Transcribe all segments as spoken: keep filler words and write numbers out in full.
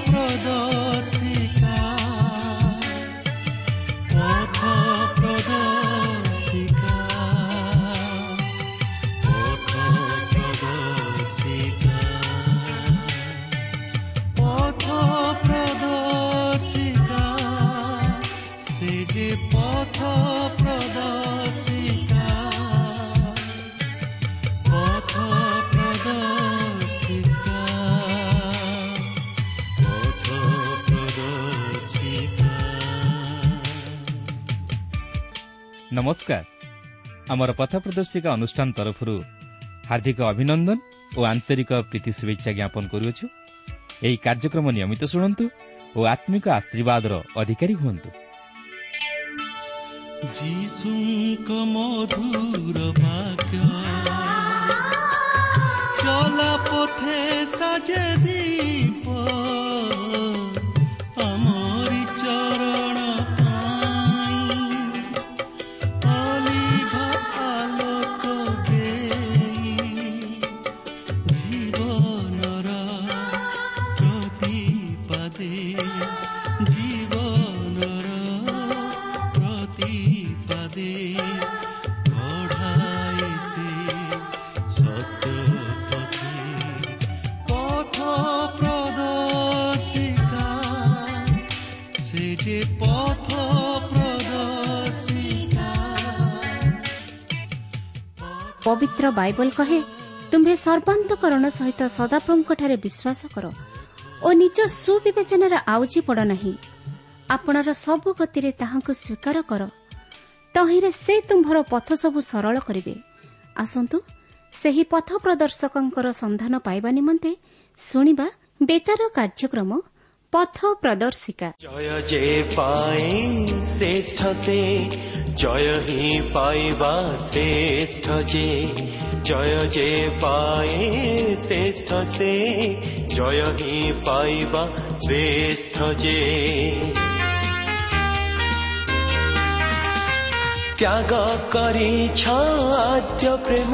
ପ୍ରଦର୍ଶିକା, ପଥ ପ୍ରଦର୍ଶିକା, ପଥ ପ୍ରଦର୍ଶିକା, ପଥ ପ୍ରଦର୍ଶିକା, ସେ ଯେ ପଥ ପ୍ରଦର୍ଶିକା, ପଥ ପ୍ରଦର୍ଶିକା, ପଥ ପ୍ରଦର୍ଶିକା। ନମସ୍କାର। ଆମର ପଥ ପ୍ରଦର୍ଶିକା ଅନୁଷ୍ଠାନ ତରଫରୁ ହାର୍ଦ୍ଦିକ ଅଭିନନ୍ଦନ ଓ ଆନ୍ତରିକ ପ୍ରୀତି ଶୁଭେଚ୍ଛା ଜ୍ଞାପନ କରୁଅଛୁ। ଏହି କାର୍ଯ୍ୟକ୍ରମ ନିୟମିତ ଶୁଣନ୍ତୁ ଓ ଆତ୍ମିକ ଆଶୀର୍ବାଦର ଅଧିକାରୀ ହୁଅନ୍ତୁ। ଯୀଶୁଙ୍କ ମଧୁର ବାକ୍ୟ ଚଲା ପଥେ ସାଜେ ଦୀପ, ଆମରି ଚରଣ ପାଇଁ ଅଲିଭ ଆଲୋକ ଦେଇ, ଜୀବନର ପ୍ରତିପାଦେ, ଜୀବନର ପ୍ରତିପାଦେ କଢ଼ାଏ ସେ ସତ୍ୟ ପଥେ। ପଥ ପ୍ରଦର୍ଶିକା, ସେ ଯେ ପଥ ପ୍ରଦର୍ଶିକା। ପବିତ୍ର ବାଇବଲ କହେ, ତୁମ୍ଭେ ସର୍ବାନ୍ତକରଣ ସହିତ ସଦାପ୍ରଭୁଙ୍କଠାରେ ବିଶ୍ୱାସ କର ଓ ନିଜ ସୁବିବେଚନାରେ ଆଉଜି ପଡ଼ ନାହିଁ। ଆପଣର ସବୁ ଗତିରେ ତାହାଙ୍କୁ ସ୍ୱୀକାର କର, ତହିଁରେ ସେ ତୁମ୍ଭର ପଥ ସବୁ ସରଳ କରିବେ। ଆସନ୍ତୁ ସେହି ପଥ ପ୍ରଦର୍ଶକଙ୍କର ସନ୍ଧାନ ପାଇବା ନିମନ୍ତେ ଶୁଣିବା ବେତାର କାର୍ଯ୍ୟକ୍ରମ ପଥ ପ୍ରଦର୍ଶିକା। ଜୟ ଯେ ପାଏ ଶ୍ରେଷ୍ଠ ସେ, ଜୟ ହିଁ ପାଇବା ଶ୍ରେଷ୍ଠ ଯେ। ଜୟ ଯେ ପାଏ ଶ୍ରେଷ୍ଠ ସେ, ଜୟ ହିଁ ପାଇବା ଶ୍ରେଷ୍ଠ ଯେ। ତ୍ୟାଗ କରିଛ ଆଦ୍ୟ ପ୍ରେମ,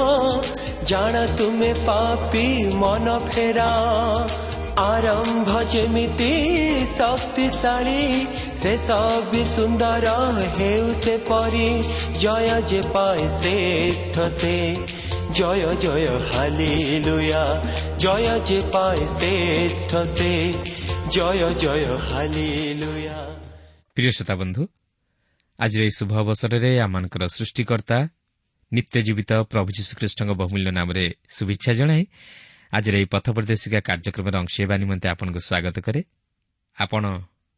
ଜାଣ ତୁମେ ପାପୀ ମନ ଫେରା। ଆରମ୍ଭ ଯେମିତି ଶକ୍ତିଶାଳୀ, ଶେଷ ବି ସୁନ୍ଦର ହେଉ ସେପରି। ଜୟ ଯେ ପାଏ ଶ୍ରେଷ୍ଠ ସେ, ଜୟ ଜୟ ହାଲିଲୁୟା। ଜୟ ଯେ ପାଏ ଶ୍ରେଷ୍ଠ ସେ, ଜୟ ଜୟ ହାଲିଲୁୟା। ପ୍ରିୟ ଶ୍ରୋତା ବନ୍ଧୁ, ଆଜିର ଏହି ଶୁଭ ଅବସରରେ ଆମମାନଙ୍କର ସୃଷ୍ଟିକର୍ତ୍ତା ନିତ୍ୟ ଜୀବିତ ପ୍ରଭୁ ଯୀଶୁଖ୍ରୀଷ୍ଟଙ୍କ ବହୁମୂଲ୍ୟ ନାମରେ ଶୁଭେଚ୍ଛା ଜଣାଇ ଆଜିର ଏହି ପଥ ପ୍ରଦର୍ଶିକା କାର୍ଯ୍ୟକ୍ରମରେ ଅଂଶ ହେବା ନିମନ୍ତେ ଆପଣଙ୍କୁ ସ୍ୱାଗତ କରେ। ଆପଣ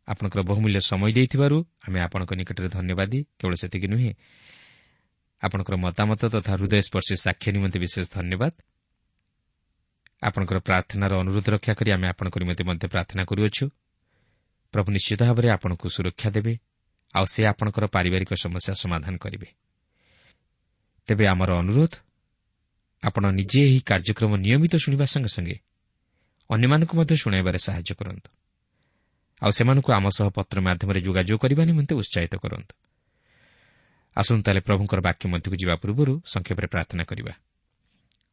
ଆପଣଙ୍କର ବହୁମୂଲ୍ୟ ସମୟ ଦେଇଥିବାରୁ ଆମେ ଆପଣଙ୍କ ନିକଟରେ ଧନ୍ୟବାଦୀ। କେବଳ ସେତିକି ନୁହେଁ, ଆପଣଙ୍କର ମତାମତ ତଥା ହୃଦୟସ୍ପର୍ଶୀ ସାକ୍ଷ୍ୟ ନିମନ୍ତେ ବିଶେଷ ଧନ୍ୟବାଦ। ଆପଣଙ୍କର ପ୍ରାର୍ଥନାର ଅନୁରୋଧ ରକ୍ଷା କରି ଆମେ ଆପଣଙ୍କ ନିମନ୍ତେ ମଧ୍ୟ ପ୍ରାର୍ଥନା କରୁଅଛୁ। ପ୍ରଭୁ ନିଶ୍ଚିତ ଭାବରେ ଆପଣଙ୍କୁ ସୁରକ୍ଷା ଦେବେ ଆଉ ସେ ଆପଣଙ୍କର ପାରିବାରିକ ସମସ୍ୟା ସମାଧାନ କରିବେ। ତେବେ ଆମର ଅନୁରୋଧ, ଆପଣ ନିଜେ ଏହି କାର୍ଯ୍ୟକ୍ରମ ନିୟମିତ ଶୁଣିବା ସଙ୍ଗେ ସଙ୍ଗେ ଅନ୍ୟମାନଙ୍କୁ ମଧ୍ୟ ଶୁଣାଇବାରେ ସାହାଯ୍ୟ କରନ୍ତୁ ଆଉ ସେମାନଙ୍କୁ ଆମ ସହ ପତ୍ର ମାଧ୍ୟମରେ ଯୋଗାଯୋଗ କରିବା ନିମନ୍ତେ ଉତ୍ସାହିତ କରନ୍ତୁ। ଆସନ୍ତୁ ତାହେଲେ ପ୍ରଭୁଙ୍କର ବାକ୍ୟ ମଧ୍ୟକୁ ଯିବା ପୂର୍ବରୁ ସଂକ୍ଷେପରେ ପ୍ରାର୍ଥନା କରିବା।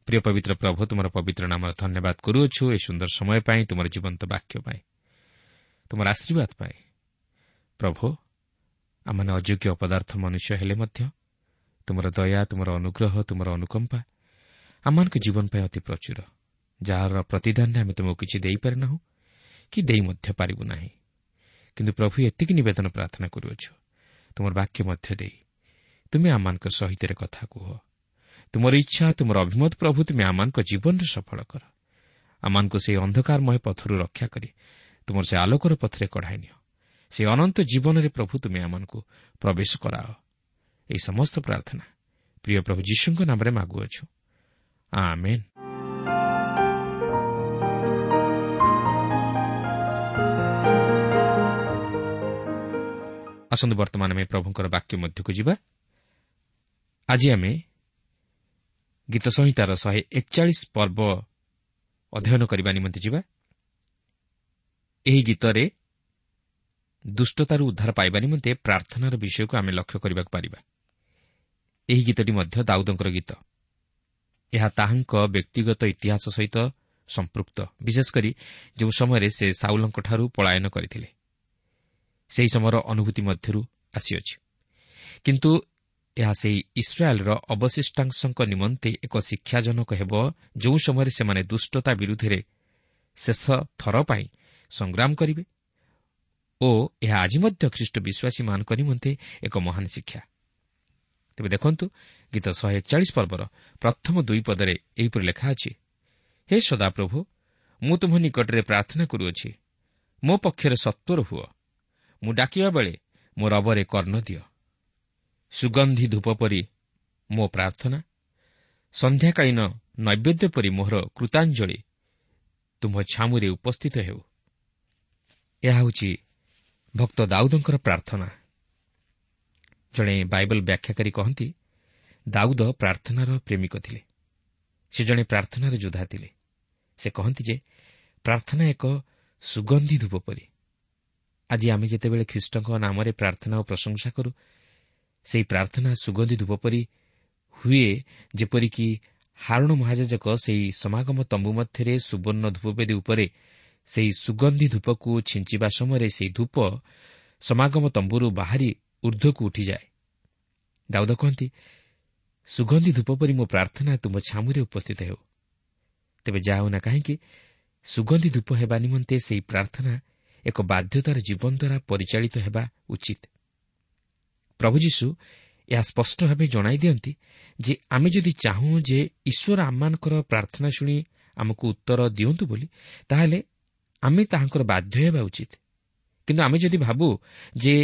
ପ୍ରିୟ ପବିତ୍ର ପ୍ରଭୁ, ତୁମର ପବିତ୍ର ନାମର ଧନ୍ୟବାଦ କରୁଅଛୁ ଏହି ସୁନ୍ଦର ସମୟ ପାଇଁ, ତୁମର ଜୀବନ୍ତ ବାକ୍ୟ ପାଇଁ, ତୁମର ଆଶୀର୍ବାଦ ପାଇଁ। ପ୍ରଭୁ, ଆମମାନେ ଅଯୋଗ୍ୟ ଅପଦାର୍ଥ ମନୁଷ୍ୟ ହେଲେ ମଧ୍ୟ ତୁମର ଦୟା, ତୁମର ଅନୁଗ୍ରହ, ତୁମର ଅନୁକମ୍ପା ଆମମାନଙ୍କ ଜୀବନ ପାଇଁ ଅତି ପ୍ରଚୁର, ଯାହାର ପ୍ରତିଦାନରେ ଆମେ ତୁମକୁ କିଛି ଦେଇପାରିନାହୁଁ କି ଦେଇ ମଧ୍ୟ ପାରିବୁ ନାହିଁ। କିନ୍ତୁ ପ୍ରଭୁ, ଏତିକି ନିବେଦନ ପ୍ରାର୍ଥନା କରୁଅଛୁ, ତୁମର ବାକ୍ୟ ମଧ୍ୟ ଦେଇ ତୁମେ ଆମମାନଙ୍କ ସହିତ କଥା କୁହ। ତୁମର ଇଚ୍ଛା, ତୁମର ଅଭିମତ ପ୍ରଭୁ ତୁମେ ଆମମାନଙ୍କ ଜୀବନରେ ସଫଳ କର। ଆମମାନଙ୍କୁ ସେହି ଅନ୍ଧକାରମୟ ପଥରୁ ରକ୍ଷା କରି ତୁମର ସେ ଆଲୋକର ପଥରେ କଢ଼ାଇ ନିଅ। ସେ ଅନନ୍ତ ଜୀବନରେ ପ୍ରଭୁ ତୁମେ ଆମମାନଙ୍କୁ ପ୍ରବେଶ କରାଅ। ଏହି ସମସ୍ତ ପ୍ରାର୍ଥନା ପ୍ରିୟ ପ୍ରଭୁ ଯୀଶୁଙ୍କ ନାମରେ ମାଗୁଅଛୁ, ଆମେନ୍। ଆସନ୍ତୁ ବର୍ତ୍ତମାନ ଆମେ ପ୍ରଭୁଙ୍କର ବାକ୍ୟ ମଧ୍ୟକୁ ଯିବା। ଆଜି ଆମେ ଗୀତ ସଂହିତାର ଶହେ ଏକଚାଳିଶ ପର୍ବ ଅଧ୍ୟୟନ କରିବା ନିମନ୍ତେ ଯିବା। ଏହି ଗୀତରେ ଦୁଷ୍ଟତାରୁ ଉଦ୍ଧାର ପାଇବା ନିମନ୍ତେ ପ୍ରାର୍ଥନାର ବିଷୟକୁ ଆମେ ଲକ୍ଷ୍ୟ କରିବାକୁ ପାରିବା। ଏହି ଗୀତଟି ମଧ୍ୟ ଦାଉଦଙ୍କର ଗୀତ। ଏହା ତାହାଙ୍କ ବ୍ୟକ୍ତିଗତ ଇତିହାସ ସହିତ ସମ୍ପୃକ୍ତ, ବିଶେଷ କରି ଯେଉଁ ସମୟରେ ସେ ସାଉଲଙ୍କଠାରୁ ପଳାୟନ କରିଥିଲେ, ସେହି ସମୟର ଅନୁଭୂତି ମଧ୍ୟରୁ ଆସିଅଛି। କିନ୍ତୁ ଏହା ସେହି ଇସ୍ରାଏଲ୍ର ଅବଶିଷ୍ଟାଂଶଙ୍କ ନିମନ୍ତେ ଏକ ଶିକ୍ଷାଜନକ ହେବ, ଯେଉଁ ସମୟରେ ସେମାନେ ଦୁଷ୍ଟତା ବିରୁଦ୍ଧରେ ଶେଷ ଥର ପାଇଁ ସଂଗ୍ରାମ କରିବେ ଓ ଏହା ଆଜି ମଧ୍ୟ ଖ୍ରୀଷ୍ଟ ବିଶ୍ୱାସୀମାନଙ୍କ ନିମନ୍ତେ ଏକ ମହାନ ଶିକ୍ଷା। ତେବେ ଦେଖନ୍ତୁ, ଗୀତ ଶହେ ଏକଚାଳିଶ ପର୍ବର ପ୍ରଥମ ଦୁଇ ପଦରେ ଏହିପରି ଲେଖା ଅଛି, ହେ ସଦାପ୍ରଭୁ, ମୁଁ ତୁମ୍ଭ ନିକଟରେ ପ୍ରାର୍ଥନା କରୁଅଛି, ମୋ ପକ୍ଷରେ ସତ୍ୱର ହୁଅ, ମୁଁ ଡାକିବା ବେଳେ ମୋ ରବରେ କର୍ଣ୍ଣ ଦିଅ। ସୁଗନ୍ଧି ଧୂପ ପରି ମୋ ପ୍ରାର୍ଥନା, ସନ୍ଧ୍ୟାକାଳୀନ ନୈବେଦ୍ୟ ପରି ମୋହର କୃତାଞ୍ଜଳି ତୁମ୍ଭ ଛାମୁରେ ଉପସ୍ଥିତ ହେଉ। ଏହା ହେଉଛି ଭକ୍ତ ଦାଉଦଙ୍କର ପ୍ରାର୍ଥନା। ଜଣେ ବାଇବଲ ବ୍ୟାଖ୍ୟାକାରୀ କହନ୍ତି, ଦାଉଦ ପ୍ରାର୍ଥନାର ପ୍ରେମିକ ଥିଲେ। ସେ ଜଣେ ପ୍ରାର୍ଥନାର ଯୋଦ୍ଧା ଥିଲେ। ସେ କହନ୍ତି ଯେ ପ୍ରାର୍ଥନା ଏକ ସୁଗନ୍ଧି ଧୂପ ପରି। ଆଜି ଆମେ ଯେତେବେଳେ ଖ୍ରୀଷ୍ଟଙ୍କ ନାମରେ ପ୍ରାର୍ଥନା ଓ ପ୍ରଶଂସା କରୁ, ସେହି ପ୍ରାର୍ଥନା ସୁଗନ୍ଧି ଧୂପ ପରି ହୁଏ, ଯେପରିକି ହାରୁଣ ମହାଯାଜକ ସେହି ସମାଗମ ତମ୍ବୁ ମଧ୍ୟରେ ସୁବର୍ଣ୍ଣ ଧୂପବେଦୀ ଉପରେ ସେହି ସୁଗନ୍ଧି ଧୂପକୁ ଛିଞ୍ଚିବା ସମୟରେ ସେହି ଧୂପ ସମାଗମ ତମ୍ବୁରୁ ବାହାରି ଉର୍ଦ୍ଧ୍ୱକୁ ଉଠିଯାଏ। ଦାଉଦ କହନ୍ତି, ସୁଗନ୍ଧି ଧୂପ ପରି ମୋ ପ୍ରାର୍ଥନା ତୁମ ଛାମୁରେ ଉପସ୍ଥିତ ହେଉ। ତେବେ ଯାହା ହେଉନା କାହିଁକି, ସୁଗନ୍ଧି ଧୂପ ହେବା ନିମନ୍ତେ ସେହି ପ୍ରାର୍ଥନା ଏକ ବାଧ୍ୟତାର ଜୀବନ ଦ୍ୱାରା ପରିଚାଳିତ ହେବା ଉଚିତ। ପ୍ରଭୁ ଯୀଶୁ ଏହା ସ୍ପଷ୍ଟ ଭାବେ ଜଣାଇ ଦିଅନ୍ତି ଯେ ଆମେ ଯଦି ଚାହୁଁ ଯେ ଈଶ୍ୱର ଆମମାନଙ୍କର ପ୍ରାର୍ଥନା ଶୁଣି ଆମକୁ ଉତ୍ତର ଦିଅନ୍ତୁ ବୋଲି, ତାହେଲେ ଆମେ ତାହାଙ୍କର ବାଧ୍ୟ ହେବା ଉଚିତ। କିନ୍ତୁ ଆମେ ଯଦି ଭାବୁ ଯେ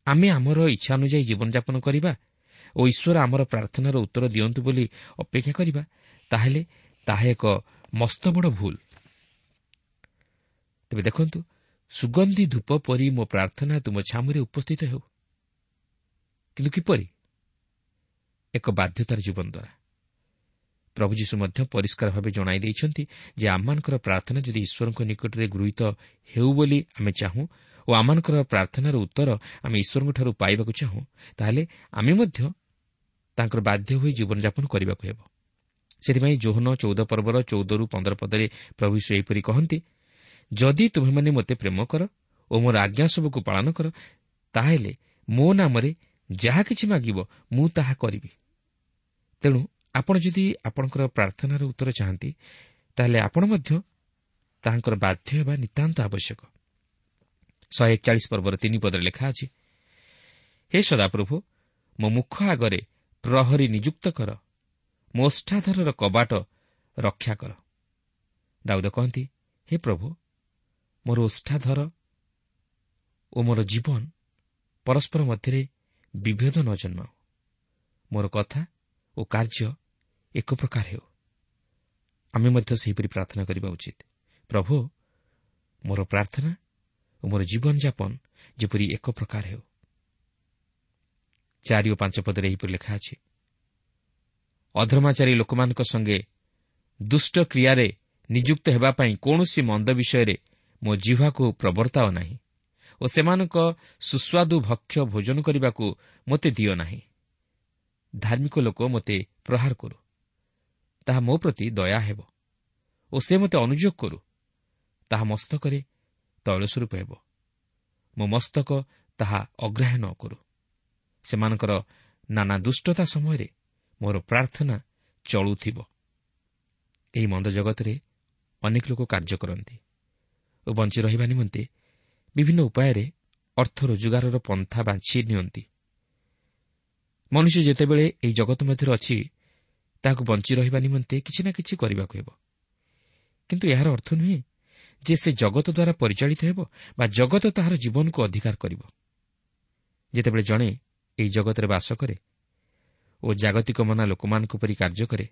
ଆମେ ଆମର ଇଚ୍ଛା ଅନୁଯାୟୀ ଜୀବନଯାପନ କରିବା ଓ ଈଶ୍ୱର ଆମର ପ୍ରାର୍ଥନାର ଉତ୍ତର ଦିଅନ୍ତୁ ବୋଲି ଅପେକ୍ଷା କରିବା, ତାହେଲେ ତାହା ଏକ ମସ୍ତବଡ଼ ଭୁଲ। ତେବେ ଦେଖନ୍ତୁ, ସୁଗନ୍ଧି ଧୂପ ପରି ମୋ ପ୍ରାର୍ଥନା ତୁମ ଛାମୁରେ ଉପସ୍ଥିତ ହେଉ। କିନ୍ତୁ କିପରି? ଏକ ବାଧ୍ୟତାର ଜୀବନ ଦ୍ୱାରା। ପ୍ରଭୁ ଯୀଶୁ ମଧ୍ୟ ପରିଷ୍କାର ଭାବେ ଜଣାଇ ଦେଇଛନ୍ତି ଯେ ଆମମାନଙ୍କର ପ୍ରାର୍ଥନା ଯଦି ଈଶ୍ୱରଙ୍କ ନିକଟରେ ଗୃହୀତ ହେଉ ବୋଲି ଆମେ ଚାହୁଁ ଓ ଆମମାନଙ୍କର ପ୍ରାର୍ଥନାର ଉତ୍ତର ଆମେ ଈଶ୍ୱରଙ୍କଠାରୁ ପାଇବାକୁ ଚାହୁଁ, ତାହେଲେ ଆମେ ମଧ୍ୟ ତାଙ୍କର ବାଧ୍ୟ ହୋଇ ଜୀବନଯାପନ କରିବାକୁ ହେବ। ସେଥିପାଇଁ ଯୋହନ ଚଉଦ ପର୍ବର ଚଉଦରୁ ପନ୍ଦର ପଦରେ ପ୍ରଭୁ ଯୀଶୁ ଏହିପରି କହନ୍ତି, ଯଦି ତୁମେମାନେ ମୋତେ ପ୍ରେମ କର ଓ ମୋର ଆଜ୍ଞା ସବୁକୁ ପାଳନ କର, ତାହେଲେ ମୋ ନାମରେ ଯାହା କିଛି ମାଗିବ ମୁଁ ତାହା କରିବି। ତେଣୁ ଆପଣ ଯଦି ଆପଣଙ୍କର ପ୍ରାର୍ଥନାର ଉତ୍ତର ଚାହାନ୍ତି, ତାହେଲେ ଆପଣ ମଧ୍ୟ ତାହାଙ୍କର ବାଧ୍ୟ ହେବା ନିତାନ୍ତ ଆବଶ୍ୟକ। ଶହେ ଏକଚାଳିଶ ପର୍ବର ତିନି ପଦରେ ଲେଖା ଅଛି, ହେ ସଦାପ୍ରଭୁ, ମୋ ମୁଖ ଆଗରେ ପ୍ରହରୀ ନିଯୁକ୍ତ କର, ମୋ ଓଷ୍ଠାଧରର କବାଟ ରକ୍ଷା କର। ଦାଉଦ କହନ୍ତି, ହେ ପ୍ରଭୁ, ମୋର ଓଷ୍ଠାଧର ଓ ମୋର ଜୀବନ ପରସ୍ପର ମଧ୍ୟରେ ବିଭେଦ ନ ଜନ୍ମାଉ, ମୋର କଥା ଓ କାର୍ଯ୍ୟ ଏକ ପ୍ରକାର ହେଉ। ଆମେ ମଧ୍ୟ ସେହିପରି ପ୍ରାର୍ଥନା କରିବା ଉଚିତ। ପ୍ରଭୁ, ମୋର ପ୍ରାର୍ଥନା ଓ ମୋର ଜୀବନଯାପନ ଯେପରି ଏକ ପ୍ରକାର ହେଉ। ଚାରି ଓ ପାଞ୍ଚ ପଦରେ ଏହିପରି ଲେଖା ଅଛି, ଅଧର୍ମାଚାରୀ ଲୋକମାନଙ୍କ ସଙ୍ଗେ ଦୁଷ୍ଟ କ୍ରିୟାରେ ନିଯୁକ୍ତ ହେବା ପାଇଁ କୌଣସି ମନ୍ଦ ବିଷୟରେ ମୋ ଜିହ୍ୱାକୁ ପ୍ରବର୍ତ୍ତାଅ ନାହିଁ ଓ ସେମାନଙ୍କ ସୁସ୍ୱାଦୁ ଭକ୍ଷ୍ୟ ଭୋଜନ କରିବାକୁ ମୋତେ ଦିଅ ନାହିଁ। ଧାର୍ମିକ ଲୋକ ମୋତେ ପ୍ରହାର କରୁ, ତାହା ମୋ ପ୍ରତି ଦୟା ହେବ ଓ ସେ ମୋତେ ଅନୁଯୋଗ କରୁ, ତାହା ମସ୍ତକରେ ତୈଳ ସ୍ୱରୂପ ହେବ, ମୋ ମସ୍ତକ ତାହା ଅଗ୍ରାହ୍ୟ ନ କରୁ। ସେମାନଙ୍କର ନାନା ଦୁଷ୍ଟତା ସମୟରେ ମୋର ପ୍ରାର୍ଥନା ଚଳୁଥିବ। ଏହି ମନ୍ଦ ଜଗତରେ ଅନେକ ଲୋକ କାର୍ଯ୍ୟ କରନ୍ତି ଓ ବଞ୍ଚି ରହିବା ନିମନ୍ତେ ବିଭିନ୍ନ ଉପାୟରେ ଅର୍ଥ ରୋଜଗାରର ପନ୍ଥା ବାଛି ନିଅନ୍ତି। ମନୁଷ୍ୟ ଯେତେବେଳେ ଏହି ଜଗତ ମଧ୍ୟରେ ଅଛି, ତାହାକୁ ବଞ୍ଚି ରହିବା ନିମନ୍ତେ କିଛି ନା କିଛି କରିବାକୁ ହେବ। କିନ୍ତୁ ଏହାର ଅର୍ଥ ନୁହେଁ ଯେ ସେ ଜଗତ ଦ୍ୱାରା ପରିଚାଳିତ ହେବ ବା ଜଗତ ତାହାର ଜୀବନକୁ ଅଧିକାର କରିବ। ଯେତେବେଳେ ଜଣେ ଏହି ଜଗତରେ ବାସ କରେ ଓ ଜାଗତିକ ମନା ଲୋକମାନଙ୍କ ପରି କାର୍ଯ୍ୟ କରେ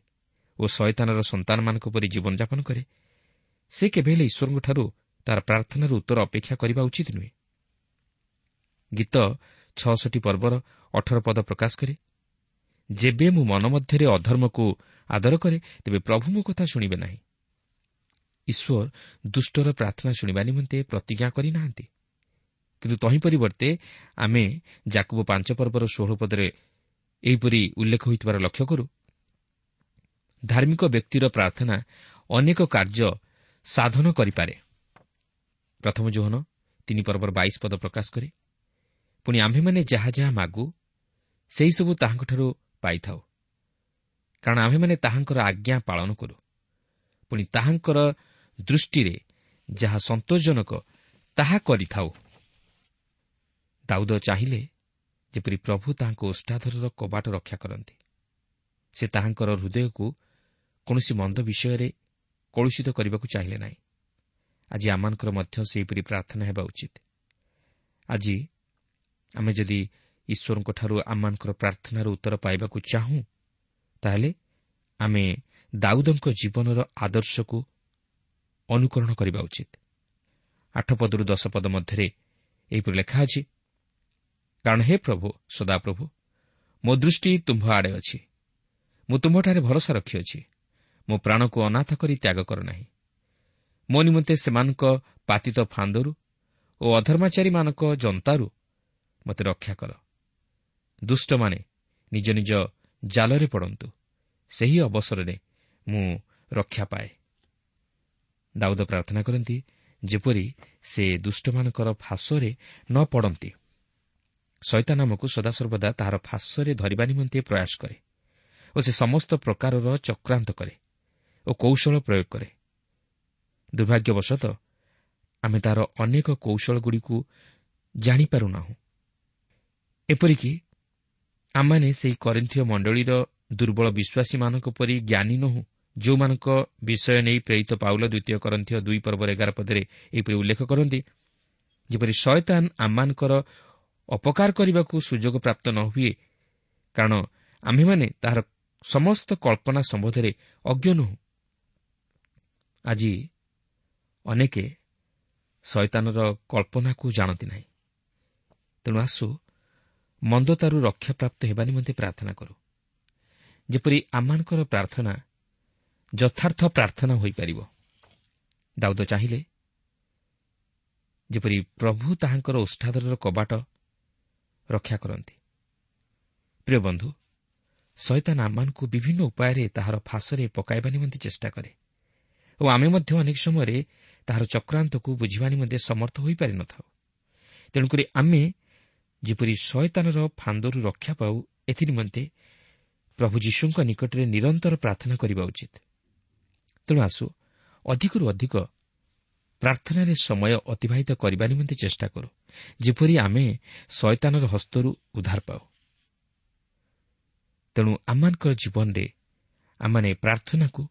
ଓ ଶୟତାନର ସନ୍ତାନମାନଙ୍କ ପରି ଜୀବନଯାପନ କରେ, ସେ କେବେ ହେଲେ ଈଶ୍ୱରଙ୍କଠାରୁ ତାର ପ୍ରାର୍ଥନାର ଉତ୍ତର ଅପେକ୍ଷା କରିବା ଉଚିତ ନୁହେଁ। ଗୀତ ଛଅଷଠି ପର୍ବର ଅଠର ପଦ ପ୍ରକାଶ କରେ, ଯେବେ ମୁଁ ମନ ମଧ୍ୟରେ ଅଧର୍ମକୁ ଆଦର କରେ, ତେବେ ପ୍ରଭୁ ମୋ କଥା ଶୁଣିବେ ନାହିଁ। ଈଶ୍ୱର ଦୁଷ୍ଟର ପ୍ରାର୍ଥନା ଶୁଣିବା ନିମନ୍ତେ ପ୍ରତିଜ୍ଞା କରିନାହାନ୍ତି, କିନ୍ତୁ ତହିଁ ପରିବର୍ତ୍ତେ ଆମେ ଯାକୁବ ପାଞ୍ଚ ପର୍ବର ଷୋହଳ ପଦରେ ଏହିପରି ଉଲ୍ଲେଖ ହୋଇଥିବାର ଲକ୍ଷ୍ୟ କରୁ, ଧାର୍ମିକ ବ୍ୟକ୍ତିର ପ୍ରାର୍ଥନା ଅନେକ କାର୍ଯ୍ୟ ସାଧନ କରିପାରେ। ପ୍ରଥମ ଯୋହନ ତିନି ପର୍ବର ବାଇଶ ପଦ ପ୍ରକାଶ କରେ, ପୁଣି ଆମ୍ଭେମାନେ ଯାହା ଯାହା ମାଗୁ ସେହିସବୁ ତାହାଙ୍କଠାରୁ ପାଇଥାଉ, କାରଣ ଆମ୍ଭେମାନେ ତାହାଙ୍କର ଆଜ୍ଞା ପାଳନ କରୁ। ପୁଣି ତାହାଙ୍କର ଦୃଷ୍ଟିରେ ଯାହା ସନ୍ତୋଷଜନକ ତାହା କରିଥାଉ। ଦାଉଦ ଚାହିଁଲେ ଯେପରି ପ୍ରଭୁ ତାହାଙ୍କ ଓଷ୍ଠାଧରର କବାଟ ରକ୍ଷା କରନ୍ତି। ସେ ତାହାଙ୍କର ହୃଦୟକୁ କୌଣସି ମନ୍ଦ ବିଷୟରେ କଳୁଷିତ କରିବାକୁ ଚାହିଁଲେ ନାହିଁ। ଆଜି ଆମମାନଙ୍କର ମଧ୍ୟ ସେହିପରି ପ୍ରାର୍ଥନା ହେବା ଉଚିତ। ଆଜି ଆମେ ଯଦି ଈଶ୍ୱରଙ୍କଠାରୁ ଆମମାନଙ୍କର ପ୍ରାର୍ଥନାର ଉତ୍ତର ପାଇବାକୁ ଚାହୁଁ, ତାହେଲେ ଆମେ ଦାଉଦଙ୍କ ଜୀବନର ଆଦର୍ଶକୁ ଅନୁକରଣ କରିବା ଉଚିତ। ଆଠ ପଦରୁ ଦଶ ପଦ ମଧ୍ୟରେ ଏହିପରି ଲେଖା ଅଛି, କାରଣ ହେ ପ୍ରଭୁ ସଦାପ୍ରଭୁ, ମୋ ଦୃଷ୍ଟି ତୁମ୍ଭ ଆଡ଼େ ଅଛି, ମୁଁ ତୁମ୍ଭଠାରେ ଭରସା ରଖିଅଛି, ମୋ ପ୍ରାଣକୁ ଅନାଥ କରି ତ୍ୟାଗ କର ନାହିଁ। ମୋ ନିମନ୍ତେ ସେମାନଙ୍କ ପାତିତ ଫାନ୍ଦରୁ ଓ ଅଧର୍ମାଚାରୀମାନଙ୍କ ଯନ୍ତାରୁ ମୋତେ ରକ୍ଷା କର। ଦୁଷ୍ଟମାନେ ନିଜ ନିଜ ଜାଲରେ ପଡ଼ନ୍ତୁ, ସେହି ଅବସରରେ ମୁଁ ରକ୍ଷା ପାଏ। ଦାଉଦ ପ୍ରାର୍ଥନା କରନ୍ତି ଯେପରି ସେ ଦୁଷ୍ଟମାନଙ୍କର ଫାଶରେ ନ ପଡ଼ନ୍ତି। ଶୟତାନ ଆମକୁ ସଦାସର୍ବଦା ତାହାର ଫାଶରେ ଧରିବା ନିମନ୍ତେ ପ୍ରୟାସ କରେ ଓ ସେ ସମସ୍ତ ପ୍ରକାରର ଚକ୍ରାନ୍ତ କରେ ଓ କୌଶଳ ପ୍ରୟୋଗ କରେ। ଦୁର୍ଭାଗ୍ୟବଶତଃ ଆମେ ତାହାର ଅନେକ କୌଶଳଗୁଡ଼ିକୁ ଜାଣିପାରୁନାହୁଁ। ଏପରିକି ଆମମାନେ ସେହି କରିନ୍ଥୀୟ ମଣ୍ଡଳୀର ଦୁର୍ବଳ ବିଶ୍ୱାସୀମାନଙ୍କ ପରି ଜ୍ଞାନୀ ନୋହୁଁ, ଯେଉଁମାନଙ୍କ ବିଷୟ ନେଇ ପ୍ରେରିତ ପାଉଲ ଦ୍ୱିତୀୟ କରିନ୍ଥୀୟ ଦୁଇ ପର୍ବର ଏଗାର ପଦରେ ଏହିପରି ଉଲ୍ଲେଖ କରନ୍ତି, ଯେପରି ଶୟତାନ ଆମମାନଙ୍କର ଅପକାର କରିବାକୁ ସୁଯୋଗ ପ୍ରାପ୍ତ ନ ହୁଏ, କାରଣ ଆମ୍ଭେମାନେ ତାହାର ସମସ୍ତ କଳ୍ପନା ସମ୍ବନ୍ଧରେ ଅଜ୍ଞ ନୋହୁଁ। ଆଜି ଅନେକେ ଶୟତାନର କଳ୍ପନାକୁ ଜାଣନ୍ତି ନାହିଁ। ତେଣୁ ଆସୁ ମନ୍ଦତାରୁ ରକ୍ଷାପ୍ରାପ୍ତ ହେବା ନିମନ୍ତେ ପ୍ରାର୍ଥନା କରୁ, ଯେପରି ଆମମାନଙ୍କର ପ୍ରାର୍ଥନା ଯଥାର୍ଥ ପ୍ରାର୍ଥନା ହୋଇପାରିବ। ଦାଉଦ ଚାହିଁଲେ ଯେପରି ପ୍ରଭୁ ତାହାଙ୍କର ଓଷ୍ଠାଧରର କବାଟ ରକ୍ଷା କରନ୍ତି। ପ୍ରିୟ ବନ୍ଧୁ, ଶୟତାନ ଆମମାନଙ୍କୁ ବିଭିନ୍ନ ଉପାୟରେ ତାହାର ଫାଶରେ ପକାଇବା ନିମନ୍ତେ ଚେଷ୍ଟା କରେ ଓ ଆମେ ମଧ୍ୟ ଅନେକ ସମୟରେ ତାହାର ଚକ୍ରାନ୍ତକୁ ବୁଝିବା ନିମନ୍ତେ ସମର୍ଥ ହୋଇପାରିନଥାଉ। ତେଣୁକରି ଆମେ ଯେପରି ଶୟତାନର ଫାନ୍ଦରୁ ରକ୍ଷା ପାଉ, ଏଥିନିମନ୍ତେ ପ୍ରଭୁ ଯୀଶୁଙ୍କ ନିକଟରେ ନିରନ୍ତର ପ୍ରାର୍ଥନା କରିବା ଉଚିତ। ତେଣୁ ଆସୁ ଅଧିକରୁ ଅଧିକ ପ୍ରାର୍ଥନାରେ ସମୟ ଅତିବାହିତ କରିବା ନିମନ୍ତେ ଚେଷ୍ଟା କରୁ, ଯେପରି ଆମେ ଶୟତାନର ହସ୍ତରୁ ଉଦ୍ଧାର ପାଉ। ତେଣୁ ଆମମାନଙ୍କର ଜୀବନରେ ଆମମାନେ ପ୍ରାର୍ଥନାକୁ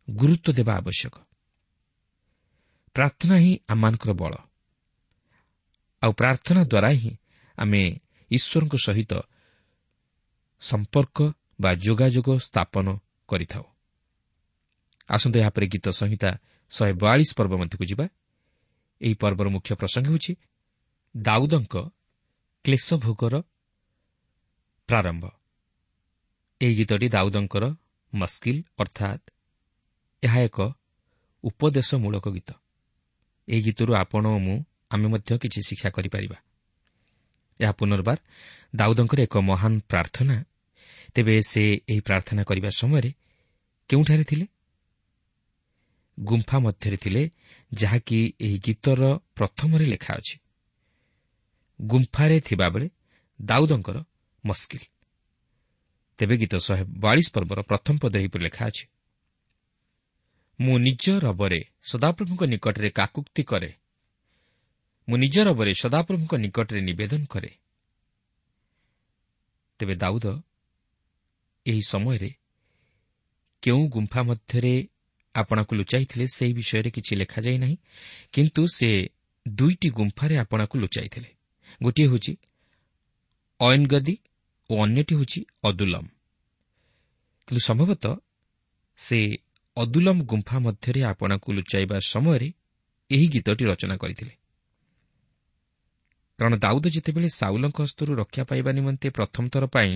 ଗୁରୁତ୍ୱ ଦେବା ଆବଶ୍ୟକ। ପ୍ରାର୍ଥନା ହିଁ ଆମମାନଙ୍କର ବଳ, ଆଉ ପ୍ରାର୍ଥନା ଦ୍ୱାରା ହିଁ ଆମେ ଈଶ୍ୱରଙ୍କ ସହିତ ସମ୍ପର୍କ ବା ଯୋଗାଯୋଗ ସ୍ଥାପନ କରିଥାଉ। ଆସନ୍ତୁ ଏହାପରେ ଗୀତ ସଂହିତା ଶହେ ବୟାଳିଶ ପର୍ବ ମଧ୍ୟକୁ ଯିବା। ଏହି ପର୍ବର ମୁଖ୍ୟ ପ୍ରସଙ୍ଗ ହେଉଛି ଦାଉଦଙ୍କ କ୍ଲେଶଭୋଗର ପ୍ରାରମ୍ଭ। ଏହି ଗୀତଟି ଦାଉଦଙ୍କର ମସ୍କିଲ, ଅର୍ଥାତ୍ ଏହା ଏକ ଉପଦେଶମୂଳକ ଗୀତ। ଏହି ଗୀତରୁ ଆପଣ ଓ ମୁଁ ଆମେ ମଧ୍ୟ କିଛି ଶିକ୍ଷା କରିପାରିବା। ଏହା ପୁନର୍ବାର ଦାଉଦଙ୍କର ଏକ ମହାନ ପ୍ରାର୍ଥନା। ତେବେ ସେ ଏହି ପ୍ରାର୍ଥନା କରିବା ସମୟରେ କେଉଁଠାରେ ଥିଲେ? ଗୁମ୍ଫା ମଧ୍ୟରେ ଥିଲେ, ଯାହାକି ଏହି ଗୀତର ପ୍ରଥମରେ ଲେଖା ଅଛି। ଗୁମ୍ଫାରେ ଥିବାବେଳେ ଦାଉଦଙ୍କର ମସ୍କିଲ। ତେବେ ଗୀତ ଶହେ ବୟାଳିଶ ପର୍ବର ପ୍ରଥମ ପଦରେ ଏହିପରି ଲେଖା ଅଛି, ମୁଁ ନିଜ ରବରେ ସଦାପ୍ରଭୁଙ୍କ ନିକଟରେ କାକୁକ୍ତି କରେ, ମୁଁ ନିଜ ରବରେ ସଦାପ୍ରଭୁଙ୍କ ନିକଟରେ ନିବେଦନ କରେ। ତେବେ ଦାଉଦ ଏହି ସମୟରେ କେଉଁ ଗୁମ୍ଫା ମଧ୍ୟରେ ଆପଣାକୁ ଲୁଚାଇଥିଲେ ସେହି ବିଷୟରେ କିଛି ଲେଖାଯାଇ ନାହିଁ, କିନ୍ତୁ ସେ ଦୁଇଟି ଗୁମ୍ଫାରେ ଆପଣାକୁ ଲୁଚାଇଥିଲେ। ଗୋଟିଏ ହେଉଛି ଅୟନଗଦି ଓ ଅନ୍ୟଟି ହେଉଛି ଅଦୁଲମ। କିନ୍ତୁ ସମ୍ଭବତଃ ସେ ଅଦୁଲମ ଗୁମ୍ଫା ମଧ୍ୟରେ ଆପଣାକୁ ଲୁଚାଇବା ସମୟରେ ଏହି ଗୀତଟି ରଚନା କରିଥିଲେ। କାରଣ ଦାଉଦ ଯେତେବେଳେ ସାଉଲଙ୍କ ହସ୍ତରୁ ରକ୍ଷା ପାଇବା ନିମନ୍ତେ ପ୍ରଥମ ଥର ପାଇଁ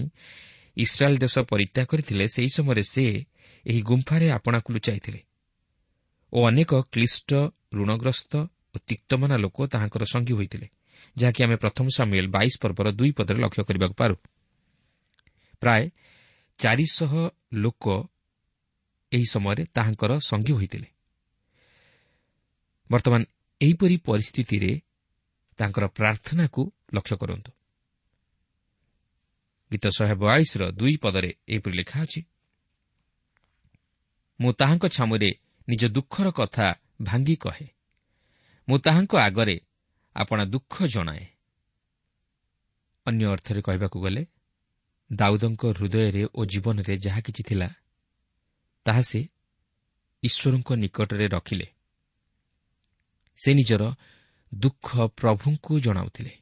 ଇସ୍ରାଏଲ୍ ଦେଶ ପରିତ୍ୟାଗ କରିଥିଲେ, ସେହି ସମୟରେ ସେ ଏହି ଗୁମ୍ଫାରେ ଆପଣାକୁ ଲୁଚାଇଥିଲେ ଓ ଅନେକ କ୍ଲିଷ୍ଟ, ଋଣଗ୍ରସ୍ତ ଓ ତିକ୍ତମନା ଲୋକ ତାହାଙ୍କର ସଙ୍ଗୀ ହୋଇଥିଲେ, ଯାହାକି ଆମେ ପ୍ରଥମ ସାମୁଏଲ ବାଇଶ ପର୍ବର ଦୁଇ ପଦରେ ଲକ୍ଷ୍ୟ କରିବାକୁ ପାରୁ। ପ୍ରାୟ ଚାରିଶହ ଲୋକ ଏହି ସମୟରେ ତାହାଙ୍କର ସଙ୍ଗୀ ହୋଇଥିଲେ। ବର୍ତ୍ତମାନ ଏହିପରି ପରିସ୍ଥିତିରେ ତାଙ୍କର ପ୍ରାର୍ଥନାକୁ ଲକ୍ଷ୍ୟ କରନ୍ତୁ। ଗୀତ ଶହେ ବୟାଳିଶର ଦୁଇ ପଦରେ ଏହିପରି ଲେଖା ଅଛି, ମୁଁ ତାହାଙ୍କ ଛାମୁରେ ନିଜ ଦୁଃଖର କଥା ଭାଙ୍ଗି କହେ, ମୁଁ ତାହାଙ୍କ ଆଗରେ ଆପଣା ଦୁଃଖ ଜଣାଏ। ଅନ୍ୟ ଅର୍ଥରେ କହିବାକୁ ଗଲେ ଦାଉଦଙ୍କ ହୃଦୟରେ ଓ ଜୀବନରେ ଯାହା କିଛି ଥିଲା ତାହା ସେ ଈଶ୍ୱରଙ୍କ ନିକଟରେ ରଖିଲେ। ସେ ନିଜର ଦୁଃଖ ପ୍ରଭୁଙ୍କୁ ଜଣାଉଥିଲେ।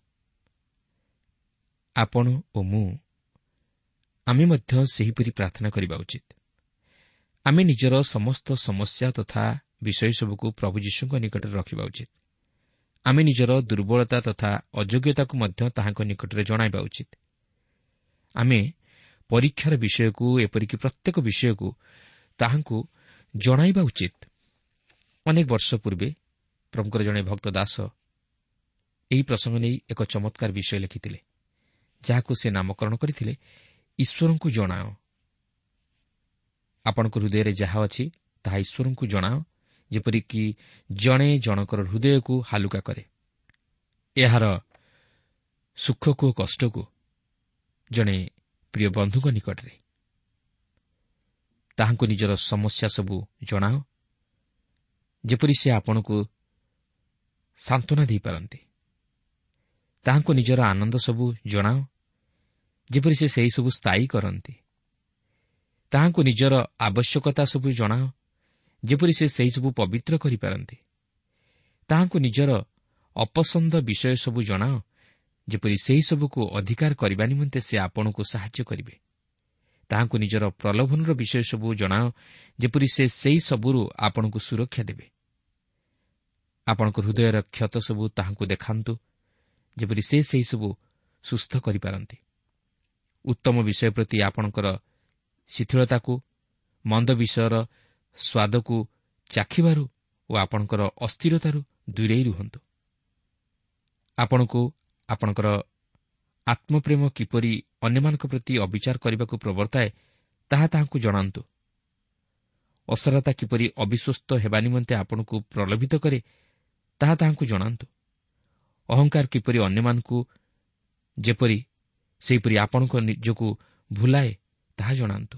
ଆପଣ ଓ ମୁଁ ଆମେ ମଧ୍ୟ ସେହିପରି ପ୍ରାର୍ଥନା କରିବା ଉଚିତ। ଆମେ ନିଜର ସମସ୍ତ ସମସ୍ୟା ତଥା ବିଷୟସବୁକୁ ପ୍ରଭୁ ଯୀଶୁଙ୍କ ନିକଟରେ ରଖିବା ଉଚିତ। ଆମେ ନିଜର ଦୁର୍ବଳତା ତଥା ଅଯୋଗ୍ୟତାକୁ ମଧ୍ୟ ତାହାଙ୍କ ନିକଟରେ ଜଣାଇବା ଉଚିତ। ଆମେ ପରୀକ୍ଷାର ବିଷୟକୁ, ଏପରିକି ପ୍ରତ୍ୟେକ ବିଷୟକୁ ତାହାଙ୍କୁ ଜଣାଇବା ଉଚିତ। ଅନେକ ବର୍ଷ ପୂର୍ବେ ପ୍ରଭୁଙ୍କର ଜଣେ ଭକ୍ତ ଦାସ ଏହି ପ୍ରସଙ୍ଗ ନେଇ ଏକ ଚମତ୍କାର ବିଷୟ ଲେଖିଥିଲେ, ଯାହାକୁ ସେ ନାମକରଣ କରିଥିଲେ ଈଶ୍ୱରଙ୍କୁ ଜଣାଅ। ଆପଣଙ୍କ ହୃଦୟରେ ଯାହା ଅଛି ତାହା ଈଶ୍ୱରଙ୍କୁ ଜଣାଅ, ଯେପରିକି ଜଣେ ଜଣଙ୍କର ହୃଦୟକୁ ହାଲୁକା କରେ। ଏହାର ସୁଖକୁ ଓ କଷ୍ଟକୁ ଜଣେ ପ୍ରିୟ ବନ୍ଧୁଙ୍କ ନିକଟରେ ତାହାଙ୍କୁ ନିଜର ସମସ୍ୟା ସବୁ ଜଣାଅ, ଯେପରି ସେ ଆପଣଙ୍କୁ ସାନ୍ତ୍ୱନା ଦେଇପାରନ୍ତି। ତାହାଙ୍କୁ ନିଜର ଆନନ୍ଦ ସବୁ ଜଣାଅ, ଯେପରି ସେ ସେହିସବୁ ସ୍ଥାୟୀ କରନ୍ତି। ତାହାଙ୍କୁ ନିଜର ଆବଶ୍ୟକତା ସବୁ ଜଣାଅ, ଯେପରି ସେ ସେହିସବୁ ପବିତ୍ର କରିପାରନ୍ତି। ତାହାଙ୍କୁ ନିଜର ଅପସନ୍ଦ ବିଷୟ ସବୁ ଜଣାଅ, ଯେପରି ସେହିସବୁକୁ ଅଧିକାର କରିବା ନିମନ୍ତେ ସେ ଆପଣଙ୍କୁ ସାହାଯ୍ୟ କରିବେ। ତାହାଙ୍କୁ ନିଜର ପ୍ରଲୋଭନର ବିଷୟ ସବୁ ଜଣାଅ, ଯେପରି ସେ ସେହିସବୁରୁ ଆପଣଙ୍କୁ ସୁରକ୍ଷା ଦେବେ। ଆପଣଙ୍କ ହୃଦୟର କ୍ଷତ ସବୁ ତାହାଙ୍କୁ ଦେଖାନ୍ତୁ, ଯେପରି ସେ ସେହିସବୁ ସୁସ୍ଥ କରିପାରନ୍ତି। ଉତ୍ତମ ବିଷୟ ପ୍ରତି ଆପଣଙ୍କର ଶିଥିଳତାକୁ, ମନ୍ଦ ବିଷୟର ସ୍ୱାଦକୁ ଚାଖିବାରୁ ଓ ଆପଣଙ୍କର ଅସ୍ଥିରତାରୁ ଦୂରେଇ ରୁହନ୍ତୁ। ଆପଣଙ୍କୁ ଆପଣଙ୍କର ଆତ୍ମପ୍ରେମ କିପରି ଅନ୍ୟମାନଙ୍କ ପ୍ରତି ଅବିଚାର କରିବାକୁ ପ୍ରବର୍ତ୍ତାଏ ତାହା ତାହାଙ୍କୁ ଜଣାନ୍ତୁ। ଅସରତା କିପରି ଅବିଶ୍ୱସ୍ତ ହେବା ନିମନ୍ତେ ଆପଣଙ୍କୁ ପ୍ରଲୋଭିତ କରେ ତାହା ତାହାଙ୍କୁ ଜଣାନ୍ତୁ। ଅହଙ୍କାର କିପରି ଅନ୍ୟମାନଙ୍କୁ ଯେପରି ସେହିପରି ଆପଣଙ୍କ ନିଜକୁ ଭୁଲାଏ ତାହା ଜଣାନ୍ତୁ।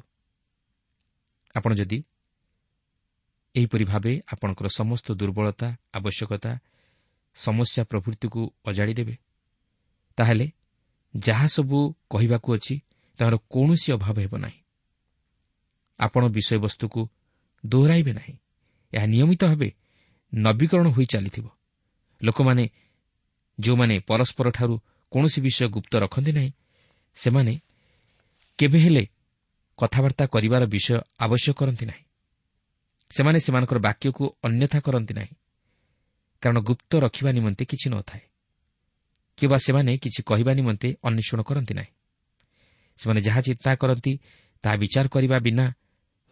ଆପଣ ଯଦି ଏହିପରି ଭାବେ ଆପଣଙ୍କର ସମସ୍ତ ଦୁର୍ବଳତା, ଆବଶ୍ୟକତା, ସମସ୍ୟା ପ୍ରଭୃତିକୁ ଅଜାଡ଼ି ଦେବେ, ତାହେଲେ ଯାହା ସବୁ କହିବାକୁ ଅଛି ତାହାର କୌଣସି ଅଭାବ ହେବ ନାହିଁ। ଆପଣ ବିଷୟବସ୍ତୁକୁ ଦୋହରାଇବେ ନାହିଁ। ଏହା ନିୟମିତ ଭାବେ ନବୀକରଣ ହୋଇ ଚାଲିଥିବ। ଲୋକମାନେ ଯେଉଁମାନେ ପରସ୍ପରଠାରୁ କୌଣସି ବିଷୟ ଗୁପ୍ତ ରଖନ୍ତି ନାହିଁ, ସେମାନେ କେବେ ହେଲେ କଥାବାର୍ତ୍ତା କରିବାର ବିଷୟ ଆବଶ୍ୟକ କରନ୍ତି ନାହିଁ। ସେମାନେ ସେମାନଙ୍କର ବାକ୍ୟକୁ ଅନ୍ୟଥା କରନ୍ତି ନାହିଁ, କାରଣ ଗୁପ୍ତ ରଖିବା ନିମନ୍ତେ କିଛି ନଥାଏ, କିମ୍ବା ସେମାନେ କିଛି କହିବା ନିମନ୍ତେ ଅନ୍ୱେଷଣ କରନ୍ତି ନାହିଁ। ସେମାନେ ଯାହା ଚିନ୍ତା କରନ୍ତି ତାହା ବିଚାର କରିବା ବିନା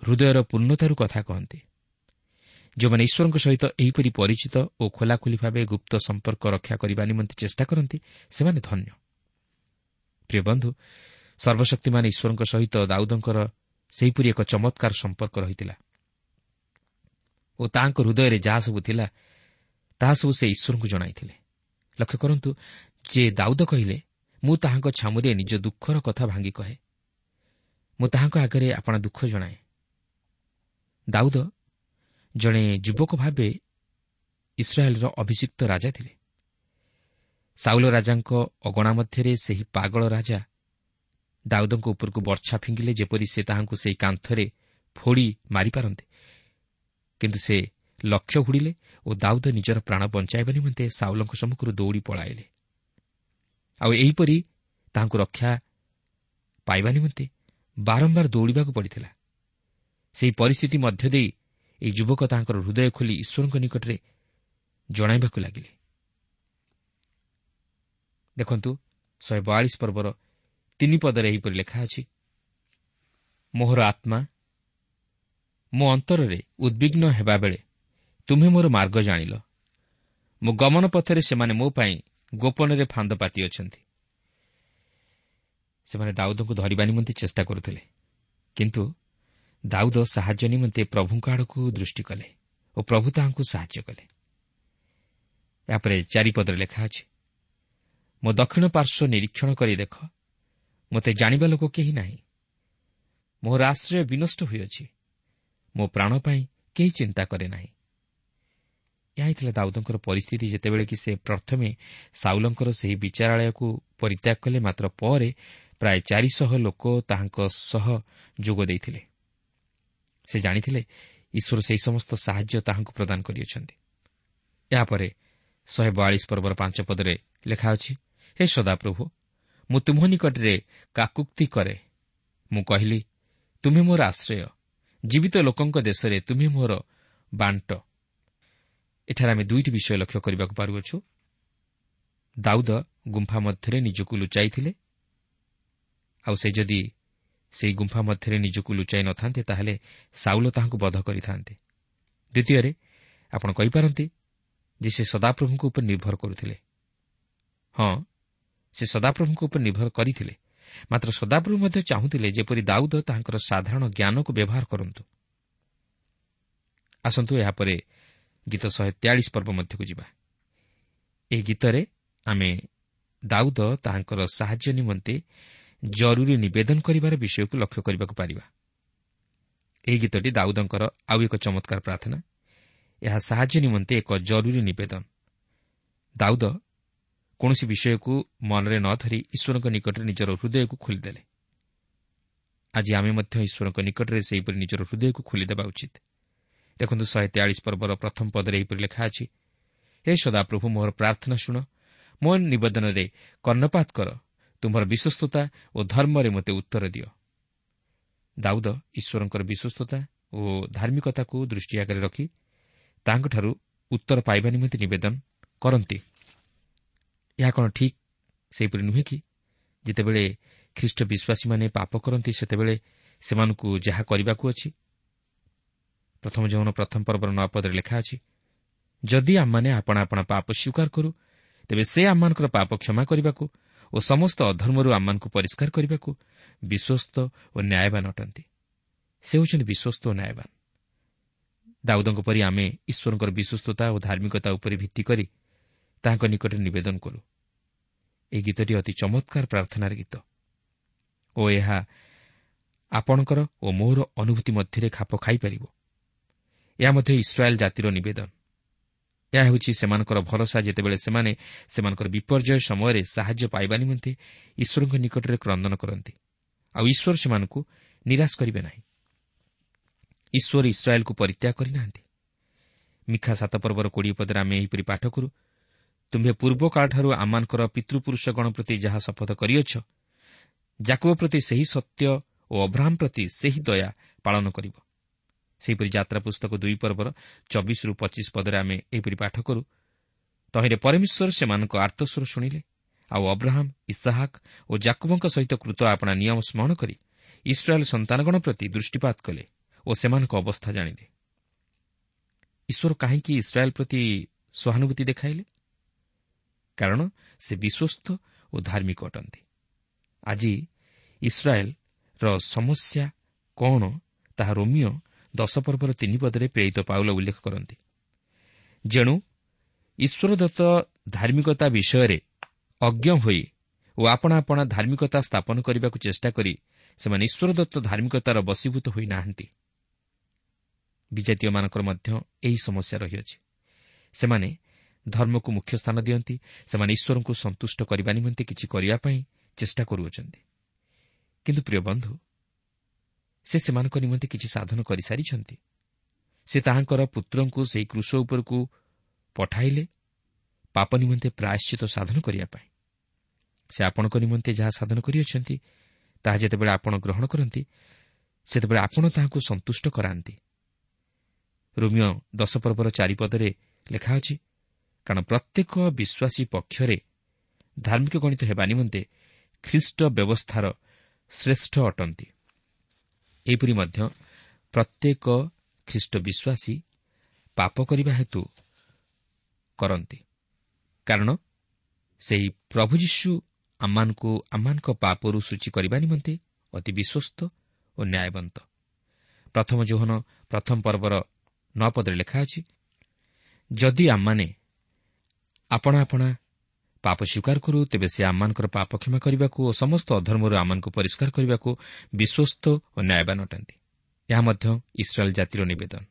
ହୃଦୟର ପୂର୍ଣ୍ଣତାରୁ କଥା କହନ୍ତି। ଯେଉଁମାନେ ଈଶ୍ୱରଙ୍କ ସହିତ ଏହିପରି ପରିଚିତ ଓ ଖୋଲାଖୋଲି ଭାବେ ଗୁପ୍ତ ସମ୍ପର୍କ ରକ୍ଷା କରିବା ନିମନ୍ତେ ଚେଷ୍ଟା କରନ୍ତି, ସେମାନେ ଧନ୍ୟ। ପ୍ରିୟ ବନ୍ଧୁ, ସର୍ବଶକ୍ତିମାନ ଈଶ୍ୱରଙ୍କ ସହିତ ଦାଉଦଙ୍କର ସେହିପରି ଏକ ଚମତ୍କାର ସମ୍ପର୍କ ରହିଥିଲା ଓ ତାଙ୍କ ହୃଦୟରେ ଯାହା ସବୁ ଥିଲା ତାହା ସବୁ ସେ ଈଶ୍ୱରଙ୍କୁ ଜଣାଇଥିଲେ। ଲକ୍ଷ୍ୟ କରନ୍ତୁ ଯେ ଦାଉଦ କହିଲେ, ମୁଁ ତାହାଙ୍କ ଛାମୁରେ ନିଜ ଦୁଃଖର କଥା ଭାଙ୍ଗି କହେ, ମୁଁ ତାହାଙ୍କ ଆଗରେ ଆପଣା ଦୁଃଖ ଜଣାଏ। ଦାଉଦ ଜଣେ ଯୁବକ ଭାବେ ଇସ୍ରାଏଲର ଅଭିଷିକ୍ତ ରାଜା ଥିଲେ। ସାଉଲ ରାଜାଙ୍କ ଅଗଣା ମଧ୍ୟରେ ସେହି ପାଗଳ ରାଜା ଦାଉଦଙ୍କ ଉପରକୁ ବର୍ଚ୍ଛା ଫିଙ୍ଗିଲେ, ଯେପରି ସେ ତାହାଙ୍କୁ ସେହି କାନ୍ଥରେ ଫୋଡ଼ି ମାରିପାରନ୍ତେ। କିନ୍ତୁ ସେ ଲକ୍ଷ୍ୟ ହୁଡ଼ିଲେ ଓ ଦାଉଦ ନିଜର ପ୍ରାଣ ବଞ୍ଚାଇବା ନିମନ୍ତେ ସାଉଲଙ୍କ ସମ୍ମୁଖରୁ ଦୌଡ଼ି ପଳାଇଲେ। ଆଉ ଏହିପରି ତାହାଙ୍କୁ ରକ୍ଷା ପାଇବା ନିମନ୍ତେ ବାରମ୍ବାର ଦୌଡ଼ିବାକୁ ପଡ଼ିଥିଲା। ସେହି ପରିସ୍ଥିତି ମଧ୍ୟ ଦେଇ ଏହି ଯୁବକ ତାଙ୍କର ହୃଦୟ ଖୋଲି ଈଶ୍ୱରଙ୍କ ନିକଟରେ ଜଣାଇବାକୁ ଲାଗିଲେ। ଦେଖନ୍ତୁ, ଶହେ ବୟାଳିଶ ପର୍ବର ତିନି ପଦରେ ଏହିପରି ଲେଖା ଅଛି, ମୋହର ଆତ୍ମା ମୋ ଅନ୍ତରରେ ଉଦ୍ବିଗ୍ନ ହେବାବେଳେ ତୁମ୍ଭେ ମୋର ମାର୍ଗ ଜାଣିଲ। ମୋ ଗମନ ପଥରେ ସେମାନେ ମୋ ପାଇଁ ଗୋପନରେ ଫାନ୍ଦ ପାତିଅଛନ୍ତି। ସେମାନେ ଦାଉଦଙ୍କୁ ଧରିବା ନିମନ୍ତେ ଚେଷ୍ଟା କରୁଥିଲେ, କିନ୍ତୁ ଦାଉଦ ସାହାଯ୍ୟ ନିମନ୍ତେ ପ୍ରଭୁଙ୍କ ଆଡ଼କୁ ଦୃଷ୍ଟି କଲେ ଓ ପ୍ରଭୁ ତାହାଙ୍କୁ ସାହାଯ୍ୟ କଲେ। ଏହାପରେ ଚାରିପଦରେ ଲେଖା ଅଛି, ମୋ ଦକ୍ଷିଣ ପାର୍ଶ୍ୱ ନିରୀକ୍ଷଣ କରି ଦେଖ, ମୋତେ ଜାଣିବା ଲୋକ କେହି ନାହିଁ। ମୋର ଆଶ୍ରୟ ବିନଷ୍ଟ ହୋଇଅଛି, ମୋ ପ୍ରାଣ ପାଇଁ କେହି ଚିନ୍ତା କରେ ନାହିଁ। ଏହା ଥିଲା ଦାଉଦଙ୍କର ପରିସ୍ଥିତି ଯେତେବେଳେ କି ସେ ପ୍ରଥମେ ସାଉଲଙ୍କର ସେହି ବିଚାରାଳୟକୁ ପରିତ୍ୟାଗ କଲେ, ମାତ୍ର ପରେ ପ୍ରାୟ ଚାରିଶହ ଲୋକ ତାହାଙ୍କ ସହ ଯୋଗ ଦେଇଥିଲେ। ସେ ଜାଣିଥିଲେ ଈଶ୍ୱର ସେହି ସମସ୍ତ ସାହାଯ୍ୟ ତାହାଙ୍କୁ ପ୍ରଦାନ କରିଅଛନ୍ତି। ଏହାପରେ ଶହେ ବୟାଳିଶ ପର୍ବର ପାଞ୍ଚ ପଦରେ ଲେଖା ଅଛି, ହେ ସଦାପ୍ରଭୁ, ମୁଁ ତୁମ୍ଭ ନିକଟରେ କାକୁକ୍ତି କରେ। ମୁଁ କହିଲି, ତୁମେ ମୋର ଆଶ୍ରୟ, ଜୀବିତ ଲୋକଙ୍କ ଦେଶରେ ତୁମେ ମୋର ବାଣ୍ଟ। ଏଠାରେ ଆମେ ଦୁଇଟି ବିଷୟ ଲକ୍ଷ୍ୟ କରିବାକୁ ପାରୁଅଛୁ। ଦାଉଦ ଗୁମ୍ଫା ମଧ୍ୟରେ ନିଜକୁ ଲୁଚାଇଥିଲେ, ଆଉ ସେ ଯଦି ସେହି ଗୁମ୍ଫା ମଧ୍ୟରେ ନିଜକୁ ଲୁଚାଇ ନଥାନ୍ତେ ତାହେଲେ ସାଉଲ ତାହାଙ୍କୁ ବଧ କରିଥାନ୍ତେ। ଦ୍ୱିତୀୟରେ ଆପଣ କହିପାରନ୍ତି ଯେ ସେ ସଦାପ୍ରଭୁଙ୍କ ଉପରେ ନିର୍ଭର କରୁଥିଲେ। ହଁ, ସେ ସଦାପ୍ରଭୁଙ୍କ ଉପରେ ନିର୍ଭର କରିଥିଲେ, ମାତ୍ର ସଦାପ୍ରଭୁ ମଧ୍ୟ ଚାହୁଁଥିଲେ ଯେପରି ଦାଉଦ ତାହାଙ୍କର ସାଧାରଣ ଜ୍ଞାନକୁ ବ୍ୟବହାର କରନ୍ତୁ। ଆସନ୍ତୁ ଏହାପରେ ଗୀତ ଶହେ ତେୟାଳିଶ ପର୍ବ ମଧ୍ୟକୁ ଯିବା। ଏହି ଗୀତରେ ଆମେ ଦାଉଦ ତାହାଙ୍କର ସାହାଯ୍ୟ ନିମନ୍ତେ ଜରୁରୀ ନିବେଦନ କରିବାର ବିଷୟକୁ ଲକ୍ଷ୍ୟ କରିବାକୁ ପାରିବା। ଏହି ଗୀତଟି ଦାଉଦଙ୍କର ଆଉ ଏକ ଚମତ୍କାର ପ୍ରାର୍ଥନା। ଏହା ସାହାଯ୍ୟ ନିମନ୍ତେ ଏକ ଜରୁରୀ ନିବେଦନ। ଦାଉଦ କୌଣସି ବିଷୟକୁ ମନରେ ନ ଧରି ଈଶ୍ୱରଙ୍କ ନିକଟରେ ନିଜର ହୃଦୟକୁ ଖୋଲିଦେଲେ। ଆଜି ଆମେ ମଧ୍ୟ ଈଶ୍ୱରଙ୍କ ନିକଟରେ ସେହିପରି ନିଜର ହୃଦୟକୁ ଖୋଲିଦେବା ଉଚିତ। ଦେଖନ୍ତୁ, ଶହେ ତେୟାଳିଶ ପର୍ବର ପ୍ରଥମ ପଦରେ ଏହିପରି ଲେଖା ଅଛି, ହେ ସଦାପ୍ରଭୁ, ମୋର ପ୍ରାର୍ଥନା ଶୁଣ, ମୋ ନିବେଦନରେ କର୍ଣ୍ଣପାତ କର, ତୁମ୍ଭର ବିଶ୍ୱସ୍ତତା ଓ ଧର୍ମରେ ମୋତେ ଉତ୍ତର ଦିଅ। ଦାଉଦ ଈଶ୍ୱରଙ୍କର ବିଶ୍ୱସ୍ତତା ଓ ଧାର୍ମିକତାକୁ ଦୃଷ୍ଟି ଆଗରେ ରଖି ତାଙ୍କଠାରୁ ଉତ୍ତର ପାଇବା ନିମନ୍ତେ ନିବେଦନ କରନ୍ତି। ଏହା କ'ଣ ଠିକ୍ ସେହିପରି ନୁହେଁ କି? ଯେତେବେଳେ ଖ୍ରୀଷ୍ଟ ବିଶ୍ୱାସୀମାନେ ପାପ କରନ୍ତି ସେତେବେଳେ ସେମାନଙ୍କୁ ଯାହା କରିବାକୁ ଅଛି, ପ୍ରଥମ ଯୌନ ପ୍ରଥମ ପର୍ବର ନଅ ପଦରେ ଲେଖା ଅଛି, ଯଦି ଆମମାନେ ଆପଣା ଆପଣା ପାପ ସ୍ୱୀକାର କରୁ ତେବେ ସେ ଆମମାନଙ୍କର ପାପ କ୍ଷମା କରିବାକୁ ଓ ସମସ୍ତ ଅଧର୍ମରୁ ଆମମାନଙ୍କୁ ପରିଷ୍କାର କରିବାକୁ ବିଶ୍ୱସ୍ତ ଓ ନ୍ୟାୟବାନ ଅଟନ୍ତି। ସେ ହେଉଛନ୍ତି ବିଶ୍ୱସ୍ତ ଓ ନ୍ୟାୟବାନ। ଦାଉଦଙ୍କ ପରି ଆମେ ଈଶ୍ୱରଙ୍କର ବିଶ୍ୱସ୍ତତା ଓ ଧାର୍ମିକତା ଉପରେ ଭିତ୍ତି କରି ତାହାଙ୍କ ନିକଟରେ ନିବେଦନ କରୁ। ଏହି ଗୀତଟି ଅତି ଚମତ୍କାର ପ୍ରାର୍ଥନାର ଗୀତ ଓ ଏହା ଆପଣଙ୍କର ଓ ମୋର ଅନୁଭୂତି ମଧ୍ୟରେ ଖାପ ଖାଇପାରିବ। ଏହା ମଧ୍ୟ ଇସ୍ରାଏଲ୍ ଜାତିର ନିବେଦନ। ଏହା ହେଉଛି ସେମାନଙ୍କର ଭରସା ଯେତେବେଳେ ସେମାନେ ସେମାନଙ୍କର ବିପର୍ଯ୍ୟୟ ସମୟରେ ସାହାଯ୍ୟ ପାଇବା ନିମନ୍ତେ ଈଶ୍ୱରଙ୍କ ନିକଟରେ କ୍ରନ୍ଦନ କରନ୍ତି, ଆଉ ଈଶ୍ୱର ସେମାନଙ୍କୁ ନିରାଶ କରିବେ ନାହିଁ। ଈଶ୍ୱର ଇସ୍ରାଏଲ୍କୁ ପରିତ୍ୟାଗ କରିନାହାନ୍ତି। ମିଖା ସାତ ପର୍ବର କୋଡ଼ିଏ ପଦରେ ଆମେ ଏହିପରି ପାଠ କରୁ, ତୁମ୍ଭେ ପୂର୍ବକାଳଠାରୁ ଆମମାନଙ୍କର ପିତୃପୁରୁଷଗଣ ପ୍ରତି ଯାହା ଶପଥ କରିଅଛ, ଯାକୁବ ପ୍ରତି ସେହି ସତ୍ୟ ଓ ଅବ୍ରାହମ ପ୍ରତି ସେହି ଦୟା ପାଳନ କରିବ। ସେହିପରି ଯାତ୍ରା ପୁସ୍ତକ ଦୁଇ ପର୍ବର ଚବିଶରୁ ପଚିଶ ପଦରେ ଆମେ ଏହିପରି ପାଠ କରୁ, ତହିଁରେ ପରମେଶ୍ୱର ସେମାନଙ୍କ ଆର୍ତ୍ତସ୍ୱର ଶୁଣିଲେ, ଆଉ ଅବ୍ରାହମ, ଇସାହାକ ଓ ଯାକୁବଙ୍କ ସହିତ କୃତ ଆପଣା ନିୟମ ସ୍ମରଣ କରି ଇସ୍ରାଏଲ୍ ସନ୍ତାନଗଣ ପ୍ରତି ଦୃଷ୍ଟିପାତ କଲେ ଓ ସେମାନଙ୍କ ଅବସ୍ଥା ଜାଣିଲେ। ଈଶ୍ୱର କାହିଁକି ଇସ୍ରାଏଲ୍ ପ୍ରତି ସହାନୁଭୂତି ଦେଖାଇଲେ? କାରଣ ସେ ବିଶ୍ୱସ୍ତ ଓ ଧାର୍ମିକ ଅଟନ୍ତି। ଆଜି ଇସ୍ରାଏଲ୍ର ସମସ୍ୟା କ'ଣ ତାହା ରୋମିଓ ଦଶ ପର୍ବର ତିନି ପଦରେ ପ୍ରେରିତ ପାଉଲ ଉଲ୍ଲେଖ କରନ୍ତି। ଯେଣୁ ଈଶ୍ୱରଦତ୍ତ ଧାର୍ମିକତା ବିଷୟରେ ଅଜ୍ଞ ହୋଇ ଓ ଆପଣା ଆପଣା ଧାର୍ମିକତା ସ୍ଥାପନ କରିବାକୁ ଚେଷ୍ଟା କରି ସେମାନେ ଈଶ୍ୱରଦତ୍ତ ଧାର୍ମିକତାର ବଶୀଭୂତ ହୋଇନାହାନ୍ତି। ବିଜାତୀୟମାନଙ୍କର ମଧ୍ୟ ଏହି ସମସ୍ୟା ରହିଅଛି। ସେମାନେ ଧର୍ମକୁ ମୁଖ୍ୟ ସ୍ଥାନ ଦିଅନ୍ତି। ସେମାନେ ଈଶ୍ୱରଙ୍କୁ ସନ୍ତୁଷ୍ଟ କରିବା ନିମନ୍ତେ କିଛି କରିବା ପାଇଁ ଚେଷ୍ଟା କରୁଅଛନ୍ତି। କିନ୍ତୁ ପ୍ରିୟ ବନ୍ଧୁ, ସେ ସେମାନଙ୍କ ନିମନ୍ତେ କିଛି ସାଧନ କରିସାରିଛନ୍ତି। ସେ ତାହାଙ୍କର ପୁତ୍ରଙ୍କୁ ସେହି କ୍ରୁଶ ଉପରକୁ ପଠାଇଲେ ପାପ ନିମନ୍ତେ ପ୍ରାୟଶ୍ଚିତ ସାଧନ କରିବା ପାଇଁ। ସେ ଆପଣଙ୍କ ନିମନ୍ତେ ଯାହା ସାଧନ କରିଅଛନ୍ତି ତାହା ଯେତେବେଳେ ଆପଣ ଗ୍ରହଣ କରନ୍ତି ସେତେବେଳେ ଆପଣ ତାହାଙ୍କୁ ସନ୍ତୁଷ୍ଟ କରାନ୍ତି। ରୋମିଓ ଦଶ ପର୍ବର ଚାରିପଦରେ ଲେଖା ଅଛି, କାରଣ ପ୍ରତ୍ୟେକ ବିଶ୍ୱାସୀ ପକ୍ଷରେ ଧାର୍ମିକ ଗଣିତ ହେବା ନିମନ୍ତେ ଖ୍ରୀଷ୍ଟ ବ୍ୟବସ୍ଥାର ଶ୍ରେଷ୍ଠ ଅଟନ୍ତି। ଏହିପରି ମଧ୍ୟ ପ୍ରତ୍ୟେକ ଖ୍ରୀଷ୍ଟ ବିଶ୍ୱାସୀ ପାପ କରିବା ହେତୁ କରନ୍ତି, କାରଣ ସେହି ପ୍ରଭୁ ଯୀଶୁ ଆମମାନଙ୍କୁ ଆମମାନଙ୍କ ପାପରୁ ସୂଚୀ କରିବା ନିମନ୍ତେ ଅତି ବିଶ୍ୱସ୍ତ ଓ ନ୍ୟାୟବନ୍ତ। ପ୍ରଥମ ଯୋହନ ପ୍ରଥମ ପର୍ବର ନଅ ପଦରେ ଲେଖା ଅଛି, ଯଦି ଆମମାନେ ଆପଣା ଆପଣା ପାପ ସ୍ୱୀକାର କରୁ, ତେବେ ସେ ଆମମାନଙ୍କର ପାପ କ୍ଷମା କରିବାକୁ ଓ ସମସ୍ତ ଅଧର୍ମରୁ ଆମମାନଙ୍କୁ ପରିଷ୍କାର କରିବାକୁ ବିଶ୍ୱସ୍ତ ଓ ନ୍ୟାୟବାନ ଅଟନ୍ତି। ଏହା ମଧ୍ୟ ଇସ୍ରାଏଲ୍ ଜାତିର ନିବେଦନ।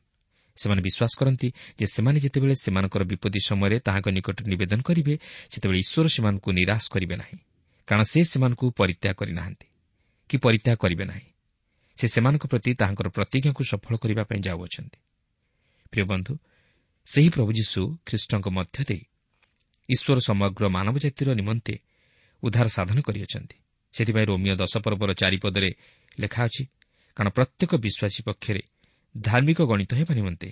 ସେମାନେ ବିଶ୍ୱାସ କରନ୍ତି ଯେ ସେମାନେ ଯେତେବେଳେ ସେମାନଙ୍କର ବିପତ୍ତି ସମୟରେ ତାହାଙ୍କ ନିକଟରେ ନିବେଦନ କରିବେ, ସେତେବେଳେ ଈଶ୍ୱର ସେମାନଙ୍କୁ ନିରାଶ କରିବେ ନାହିଁ, କାରଣ ସେ ସେମାନଙ୍କୁ ପରିତ୍ୟାଗ କରିନାହାନ୍ତି କି ପରିତ୍ୟାଗ କରିବେ ନାହିଁ। ସେ ସେମାନଙ୍କ ପ୍ରତି ତାହାଙ୍କର ପ୍ରତିଜ୍ଞାକୁ ସଫଳ କରିବା ପାଇଁ ଯାଉଅଛନ୍ତି। ପ୍ରିୟ ବନ୍ଧୁ, ସେହି ପ୍ରଭୁ ଯୀଶୁ ଖ୍ରୀଷ୍ଟଙ୍କ ମଧ୍ୟ ଦେଇ ଈଶ୍ୱର ସମଗ୍ର ମାନବ ଜାତିର ନିମନ୍ତେ ଉଦ୍ଧାର ସାଧନ କରିଅଛନ୍ତି। ସେଥିପାଇଁ ରୋମିଓ ଦଶ ପର୍ବର ଚାରିପଦରେ ଲେଖା ଅଛି, କାରଣ ପ୍ରତ୍ୟେକ ବିଶ୍ୱାସୀ ପକ୍ଷରେ ଧାର୍ମିକ ଗଣିତ ହେବା ନିମନ୍ତେ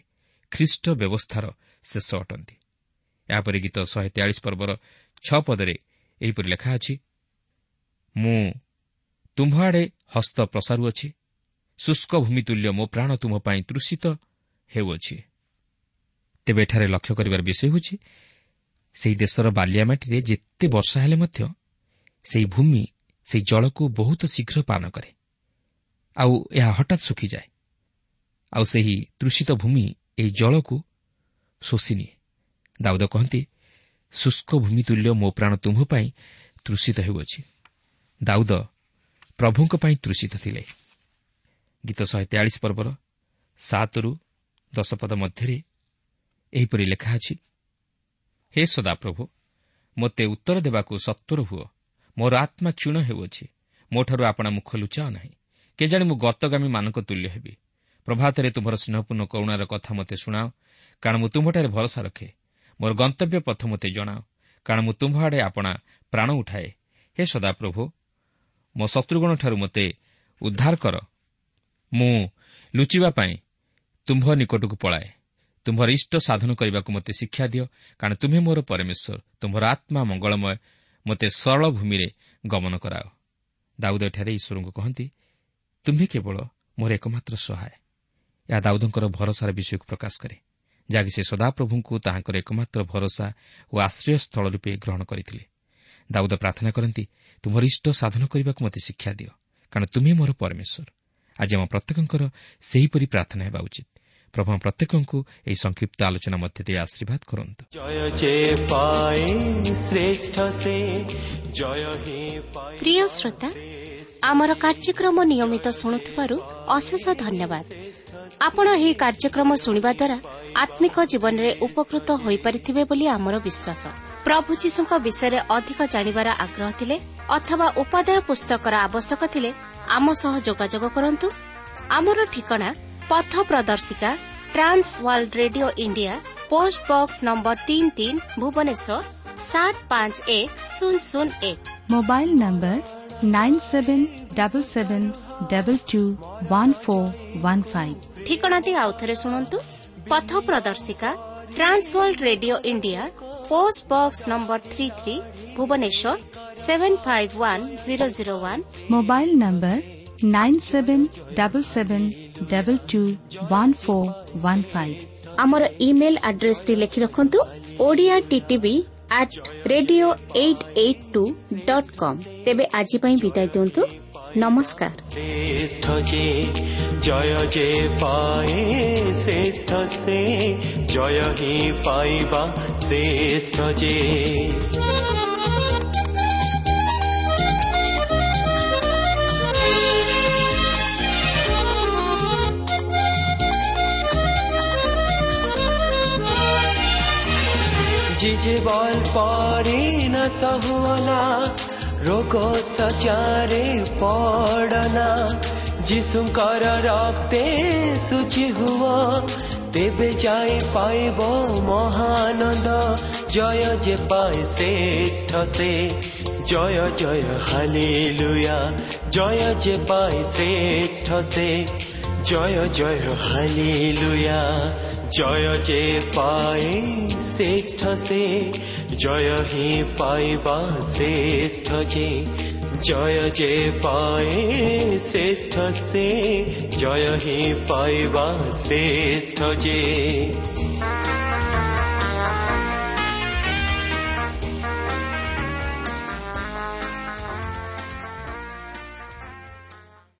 ଖ୍ରୀଷ୍ଟ ବ୍ୟବସ୍ଥାର ଶେଷ ଅଟନ୍ତି। ଏହାପରେ ଗୀତ ଶହେ ତେୟାଳିଶ ପର୍ବର ଛଅ ପଦରେ ଏହିପରି ଲେଖା ଅଛି, ମୁଁ ତୁମ୍ଭ ଆଡ଼େ ହସ୍ତ ପ୍ରସାରୁଅଛି, ଶୁଷ୍କ ଭୂମି ତୁଲ୍ୟ ମୋ ପ୍ରାଣ ତୁମ୍ଭ ପାଇଁ ତୃଷିତ ହେଉଅଛି। ତେବେ ଏଠାରେ ଲକ୍ଷ୍ୟ କରିବାର ବିଷୟ ହେଉଛି, ସେହି ଦେଶର ବାଲିଆ ମାଟିରେ ଯେତେ ବର୍ଷା ହେଲେ ମଧ୍ୟ ସେହି ଭୂମି ସେହି ଜଳକୁ ବହୁତ ଶୀଘ୍ର ପାନ କରେ, ଆଉ ଏହା ହଠାତ୍ ଶୁଖିଯାଏ। ଆଉ ସେହି ତୃଷିତ ଭୂମି ଏହି ଜଳକୁ ଶୋଷିନିଏ। ଦାଉଦ କହନ୍ତି, ଶୁଷ୍କ ଭୂମି ତୁଲ୍ୟ ମୋ ପ୍ରାଣ ତୁମ୍ଭ ପାଇଁ ତୃଷିତ ହେଉଅଛି। ଦାଉଦ ପ୍ରଭୁଙ୍କ ପାଇଁ ତୃଷିତ ଥିଲେ। ଗୀତ ଶହେ ତେୟାଳିଶ ପର୍ବର ସାତରୁ ଦଶ ପଦ ମଧ୍ୟରେ ଏହିପରି ଲେଖା ଅଛି, ହେ ସଦାପ୍ରଭୁ, ମୋତେ ଉତ୍ତର ଦେବାକୁ ସତ୍ୱର ହୁଅ, ମୋର ଆତ୍ମା କ୍ଷୀଣ ହେଉଅଛି, ମୋଠାରୁ ଆପଣା ମୁଖ ଲୁଚାଅ ନାହିଁ। କେଜାଣି ମୁଁ ଗତଗାମୀମାନଙ୍କ ତୁଲ୍ୟ ହେବି। ପ୍ରଭାତରେ ତୁମ୍ଭର ସ୍ନେହପୂର୍ଣ୍ଣ କରୁଣାର କଥା ମୋତେ ଶୁଣାଅ, କାରଣ ମୁଁ ତୁମ୍ଭଠାରେ ଭରସା ରଖେ। ମୋର ଗନ୍ତବ୍ୟ ପଥ ମୋତେ ଜଣାଅ, କାରଣ ମୁଁ ତୁମ୍ଭ ଆଡ଼େ ଆପଣା ପ୍ରାଣ ଉଠାଏ। ହେ ସଦାପ୍ରଭୁ, ମୋ ଶତ୍ରୁଗଣଠାରୁ ମୋତେ ଉଦ୍ଧାର କର। ମୁଁ ଲୁଚିବା ପାଇଁ ତୁମ୍ଭ ନିକଟକୁ ପଳାଏ। ତୁମ୍ଭର ଇଷ୍ଟ ସାଧନ କରିବାକୁ ମୋତେ ଶିକ୍ଷା ଦିଅ, କାରଣ ତୁମ୍ଭେ ମୋର ପରମେଶ୍ୱର। ତୁମ୍ଭର ଆତ୍ମା ମଙ୍ଗଳମୟ, ମୋତେ ସରଳ ଭୂମିରେ ଗମନ କରାଅ। ଦାଉଦ ଏଠାରେ ଈଶ୍ୱରଙ୍କୁ କହନ୍ତି, ତୁମ୍ଭେ କେବଳ ମୋର ଏକମାତ୍ର ସହାୟ। ଏହା ଦାଉଦଙ୍କର ଭରସାର ବିଷୟକୁ ପ୍ରକାଶ କରେ, ଯାହାକି ସେ ସଦାପ୍ରଭୁଙ୍କୁ ତାହାଙ୍କର ଏକମାତ୍ର ଭରସା ଓ ଆଶ୍ରୟସ୍ଥଳ ରୂପେ ଗ୍ରହଣ କରିଥିଲେ। ଦାଉଦ ପ୍ରାର୍ଥନା କରନ୍ତି, ତୁମର ଇଷ୍ଟ ସାଧନ କରିବାକୁ ମୋତେ ଶିକ୍ଷା ଦିଅ, କାରଣ ତୁମେ ମୋର ପରମେଶ୍ୱର। ଆଜି ଆମ ପ୍ରତ୍ୟେକଙ୍କର ସେହିପରି ପ୍ରାର୍ଥନା ହେବା ଉଚିତ। ପ୍ରଭୁ ପ୍ରତ୍ୟେକଙ୍କୁ ଏହି ସଂକ୍ଷିପ୍ତ ଆଲୋଚନା ମଧ୍ୟ ଦେଇ ଆଶୀର୍ବାଦ କରନ୍ତୁ। ପ୍ରିୟ ଶ୍ରୋତା, ଆମର କାର୍ଯ୍ୟକ୍ରମ ନିୟମିତ ଶୁଣୁଥିବାରୁ ଅଶେଷ ଧନ୍ୟବାଦ। ଆପଣ ଏହି କାର୍ଯ୍ୟକ୍ରମ ଶୁଣିବା ଦ୍ୱାରା ଆତ୍ମିକ ଜୀବନରେ ଉପକୃତ ହୋଇପାରିଥିବେ ବୋଲି ଆମର ବିଶ୍ୱାସ। ପ୍ରଭୁ ଯୀଶୁଙ୍କ ବିଷୟରେ ଅଧିକ ଜାଣିବାର ଆଗ୍ରହ ଥିଲେ ଅଥବା ଉପାଦେୟ ପୁସ୍ତକର ଆବଶ୍ୟକ ଥିଲେ ଆମ ସହ ଯୋଗାଯୋଗ କରନ୍ତୁ। ଆମର ଠିକଣା ପଥ ପ୍ରଦର୍ଶିକା, Trans World Radio India, post box number ତିନି ତିନି, ଭୁବନେଶ୍ୱର ସାତ ପାଞ୍ଚ ଏକ ଶୂନ ଶୂନ ଏକ। Mobile number nine seven double seven double two one four one five. ଠିକଣାଟି ଆଉଥରେ ଶୁଣନ୍ତୁ। ପଥ ପ୍ରଦର୍ଶିକା, Trans World Radio India, post box number three three, Bhubaneswar seven five one zero zero one. Mobile number nine seven double seven double two one four one five. ଆମର email ଆଡ୍ରେସଟି ଲେଖି ରଖନ୍ତୁ, Odia TTV at radio eight eight two dot com. ତେବେ ଆଜି ପାଇଁ ବିଦାୟ ଦିଅନ୍ତୁ। ନମସ୍କାର। ଶ୍ରେଷ୍ଠ ଯେ ଜୟ ଯେ ପାଏ ଶ୍ରେଷ୍ଠ ସେ ଜୟ ହିଁ ପାଇବା ଶ୍ରେଷ୍ଠ ଯେ। ଜିଜେ ବଲ ପରେ न सहुअना ରୋଗ ସଚାରେ ପଡ଼ନା, ଯୀଶୁଙ୍କର ରକ୍ତେ ଶୁଚି ହୁଅ ତେବେ ଯାଇ ପାଇବ ମହାନନ୍ଦ। ଜୟ ଯେ ପାଏ ଶ୍ରେଷ୍ଠ ସେ ଜୟ ଜୟ ହାଲେଲୁୟା, ଜୟ ଯେ ପାଏ ଶ୍ରେଷ୍ଠ ସେ ଜୟ ଜୟ ହାଲେଲୁୟା। ଜୟ ଯେ ପାଏ ଶ୍ରେଷ୍ଠ ସେ ଜୟ ହିଁ ପାଇବା ଶ୍ରେଷ୍ଠ ଯେ, ଜୟ ଯେ ପାଏ ଶ୍ରେଷ୍ଠ ସେ ଜୟ ହିଁ ପାଇବା ଶ୍ରେଷ୍ଠ ଯେ।